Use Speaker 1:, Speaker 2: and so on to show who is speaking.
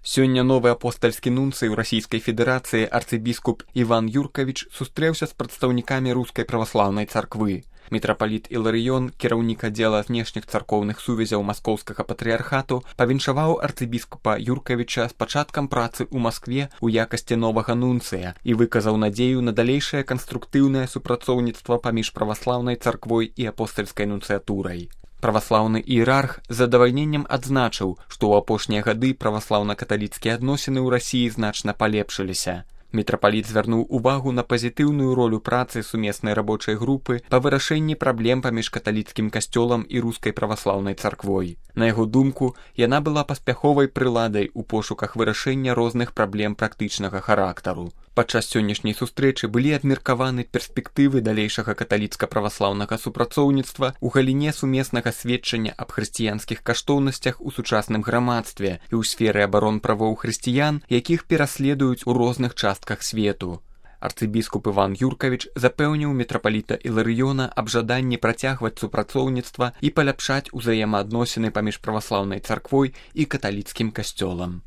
Speaker 1: Сёння новы апостальскі нунцый у Расійскай Федэрацыі арцыбіскуп Іван Юркавіч сустрэўся з прадстаўнікамі рускай праваслаўнай царквы. Мітрапаліт Іларыён, кіраўнік аддзела знешніх царкоўных сувязяў маскоўскага патрыярхату, павіншаваў арцыбіскупа Юркавіча з пачаткам працы ў Маскве ў якасці новага нунцыя і выказаў надзею на далейшае канструктыўнае супрацоўніцтва паміж праваслаўнай царквой і апостальскай нунцыятурай. Праваслаўны іерарх з задавальненнем адзначыў, што ў апошнія гады праваслаўна-каталіцкія адносіны ў Расіі значна палепшыліся. Мітрапаліт звярнуў увагу на пазітыўную ролю працы сумеснай рабочай групы па вырашэнні праблем паміж каталіцкім касцёлам і рускай праваслаўнай царквой. На яго думку, яна была паспяховай прыладай у пошуках вырашэння розных праблем практычнага характару. Падчас сённяшняй сустрэчы былі абмеркаваны перспектывы далейшага каталіцка-праваслаўнага супрацоўніцтва ў галіне сумеснага сведчання аб хрысціянскіх каштоўнасцях у сучасным грамадстве і ў сферы абарон правоў хрысціян, якіх пераследуюць у розных частках свету. Арцыбіскуп Іван Юркавіч запэўніў мітрапаліта Іларыёна аб жаданні працягваць супрацоўніцтва і паляпшаць узаемаадносіны паміж праваслаўнай царквой і каталіцкім касцёлам.